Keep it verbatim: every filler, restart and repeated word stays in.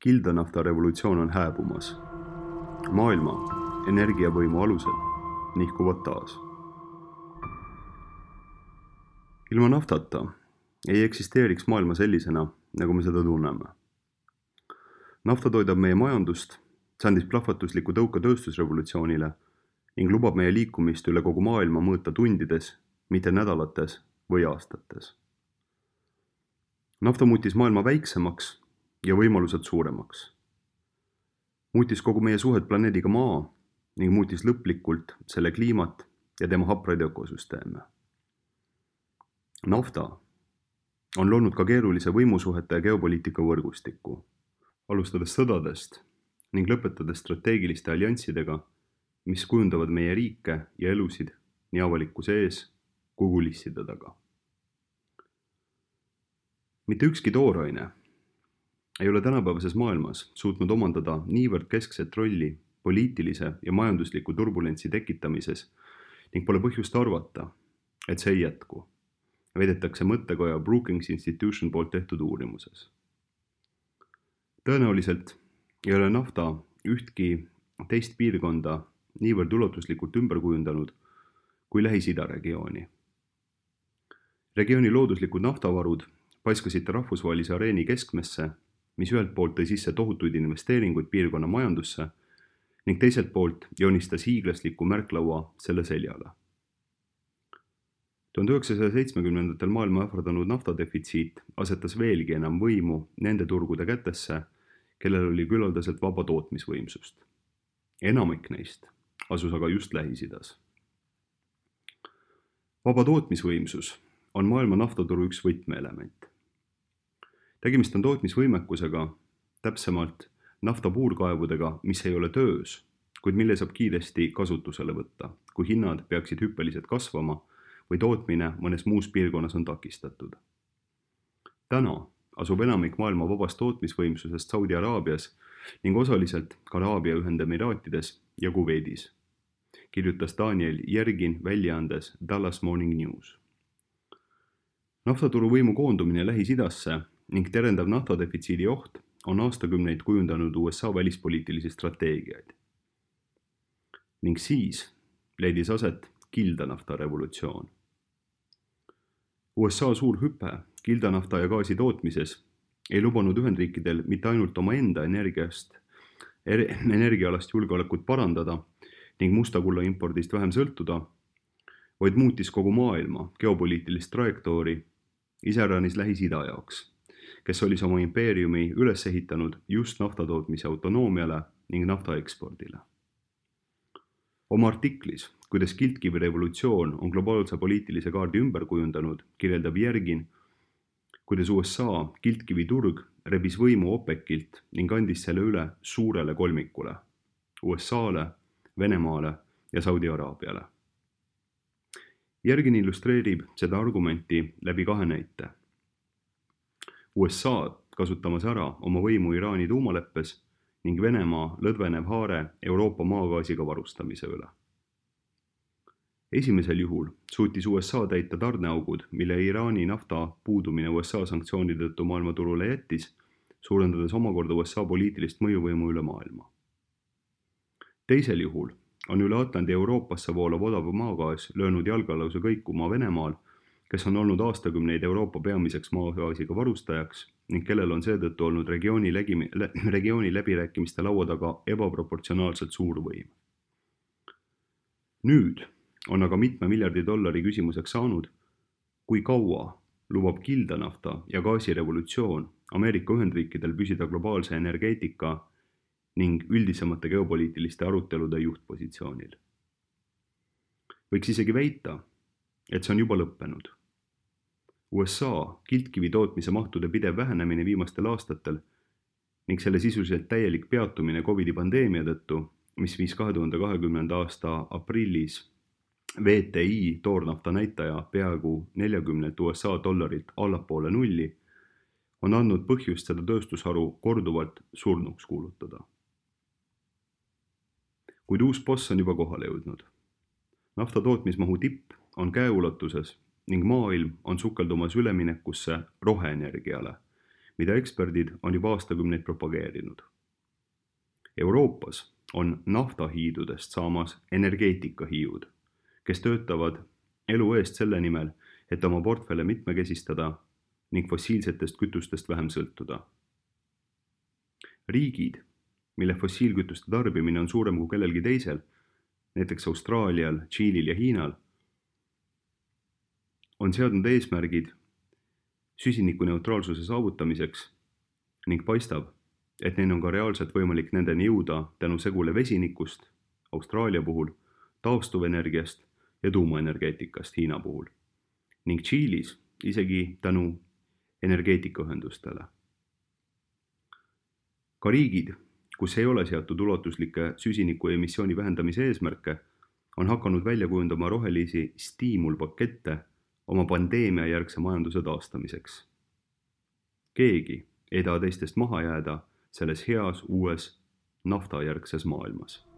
Kildanafta revolutsioon on hääbumas. Maailma energiavõimu alused nihkuvad taas. Ilma naftata ei eksisteeriks maailma sellisena, nagu me seda tunneme. Nafta toidab meie majandust, see andis plahvatusliku tõuke tööstusrevolutsioonile ning lubab meie liikumist üle kogu maailma mõõta tundides, mitte nädalates või aastates. Nafta muutis maailma väiksemaks ja võimalused suuremaks. Muutis kogu meie suhet planeediga Maa ning muutis lõplikult selle kliimat ja tema hapraid ökosüsteeme. Nafta on loonud ka keerulise võimusuhete ja geopoliitika võrgustiku, alustades sõdadest ning lõpetades strateegiliste allianssidega, mis kujundavad meie riike ja elusid nii avalikkuse ees kui kulisside taga. Mitte ükski tooraine ei ole tänapäevases maailmas suutnud omandada niivõrd keskset rolli poliitilise ja majandusliku turbulentsi tekitamises ning pole põhjust arvata, et see ei jätku, väidetakse mõttekoja Brookings Institution poolt tehtud uurimuses. Tõenäoliselt ei ole nafta ühtki teist piirkonda niivõrd ulatuslikult ümber kujundanud kui Lähis-Ida regiooni. Regiooni looduslikud naftavarud paiskasid rahvusvahelise areeni keskmesse, mis ühelt poolt tõi sisse tohutuid investeeringuid piirkonna majandusse ning teiselt poolt joonistas hiiglasliku märklaua selle seljale. tuhande üheksasaja seitsmekümnendatel maailma ähvardanud naftadefitsiit asetas veelgi enam võimu nende turgude kätesse, kellel oli küllaldaselt vaba tootmisvõimsust. Enamik neist asus aga just Lähis-Idas. Vaba tootmisvõimsus on maailma naftaturu üks võtmeelement. Tegemist on tootmisvõimekusega, täpsemalt nafta puurkaevudega, mis ei ole töös, kuid mille saab kiiresti kasutusele võtta, kui hinnad peaksid hüppeliselt kasvama või tootmine mõnes muus piirkonnas on takistatud. Täna asub enamik maailma vabast tootmisvõimsusest Saudi Araabias ning osaliselt ka Araabia Ühendemiraatides ja Kuveidis, kirjutas Daniel Yergin väljaandes Dallas Morning News. Naftaturu võimu koondumine Lähis-Idasse ning terendav naftadefitsiidi oht on aastakümneid kujundanud U S A välispoliitilisi strateegiaid. Ning siis leidis aset kildanafta revolutsioon. U S A suur hüpe kildanafta ja gaasi tootmises ei lubanud Ühendriikidel mitte ainult oma enda energiast, energiaalast julgeolekut parandada ning musta kulla impordist vähem sõltuda, vaid muutis kogu maailma geopoliitilist trajektoori iseäranis Lähis-Ida jaoks, kes oli oma impeeriumi üles ehitanud just naftatootmise autonoomiale ning nafta ekspordile. Oma artiklis, kuidas kiltkivi revolutsioon on globaalse poliitilise kaardi ümber kujundanud, kirjeldab Yergin, kuidas U S A kiltkivi turg rebis võimu OPEC-ilt ning andis selle üle suurele kolmikule, U S A-le, Venemaale ja Saudi Araabiale. Yergin illustreerib seda argumenti läbi kahe näite. U S A kasutamas ära oma võimu Iraani tuumaleppes ning Venemaa lõdvenev haare Euroopa maagaasiga varustamise üle. Esimesel juhul suutis U S A täita tarneaugud, mille Iraani nafta puudumine U S A sanktsioonide tõttu maailmaturule jättis, suurendades omakorda U S A poliitilist mõjuvõimu üle maailma. Teisel juhul on üle Atlandi Euroopasse voolav odav maagaas löönud jalgalause kõikuma Venemaal, kes on olnud aastakümneid Euroopa peamiseks maagaasiga varustajaks ning kellel on seetõttu olnud regiooni, lägi, regiooni läbirääkimiste laua taga ebaproportsionaalselt suur võim. Nüüd on aga mitme miljardi dollari küsimuseks saanud, kui kaua lubab kildanafta ja gaasirevolutsioon Ameerika Ühendriikidel püsida globaalse energeetika ning üldisemate geopoliitiliste arutelude juhtpositsioonil. Võiks isegi väita, et see on juba lõppenud. U S A kiltkivi tootmise mahtude pidev vähenemine viimastel aastatel ning selle sisuliselt täielik peatumine Covidi pandeemia tõttu, mis viis kahe tuhande kahekümnenda aasta aprillis V T I toornafta näitaja peaaegu neljakümnelt U S A dollarilt allapoole nulli, on andnud põhjust seda tööstusharu korduvalt surnuks kuulutada. Kuid uus boss on juba kohale jõudnud. Nafta tootmismahu tipp on käeulatuses ning maailm on sukeldumas üleminekusse roheenergiale, mida eksperdid on juba aastakümneid propageerinud. Euroopas on naftahiidudest saamas energeetikahiiud, kes töötavad elu eest selle nimel, et oma portfelle mitmekesistada ning fossiilsetest kütustest vähem sõltuda. Riigid, mille fossiilkütuste tarbimine on suurem kui kellelgi teisel, näiteks Austraalial, Tšiilil ja Hiinal, on seadnud eesmärgid süsinikuneutraalsuse saavutamiseks ning paistab, et neil on ka reaalselt võimalik nendeni jõuda tänu segule vesinikust Austraalia puhul, taastuvenergiast ja tuumaenergeetikast Hiina puhul ning Tšiilis isegi tänu energeetikaühendustele. Ka riigid, kus ei ole seatud ulatuslikke süsiniku emissiooni vähendamise eesmärke, on hakanud välja kujundama rohelisi stiimulpakette oma pandeemia järgse majanduse taastamiseks. Keegi ei taha teistest maha jääda selles heas uues naftajärgses maailmas.